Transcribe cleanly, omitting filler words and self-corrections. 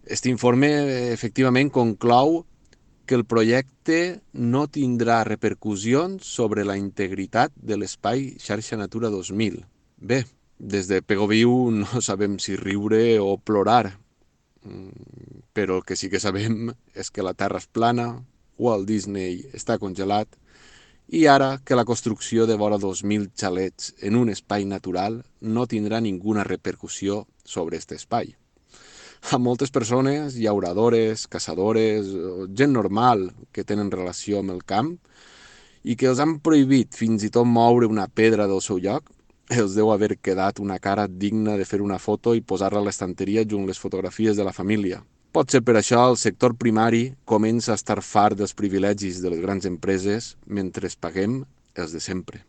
Este informe efectivament conclou que el projecte no tindrà repercussions sobre la integritat de l'espai xarxa Natura 2000. Bé, des de Pegoviu no sabem si riure o plorar, però el que sí que sabem és que la Terra és plana, Walt Disney està congelat i ara que la construcció de vora 2.000 xalets en un espai natural no tindrà ninguna repercussió sobre aquest espai. A moltes persones, llauradores, caçadores, gent normal que tenen relació amb el camp i que els han prohibit fins i tot moure una pedra del seu lloc, els deu haver quedat una cara digna de fer una foto i posar-la a l'estanteria junt les fotografies de la família. Potser per això el sector primari comença a estar fart dels privilegis de les grans empreses mentre paguem els de sempre.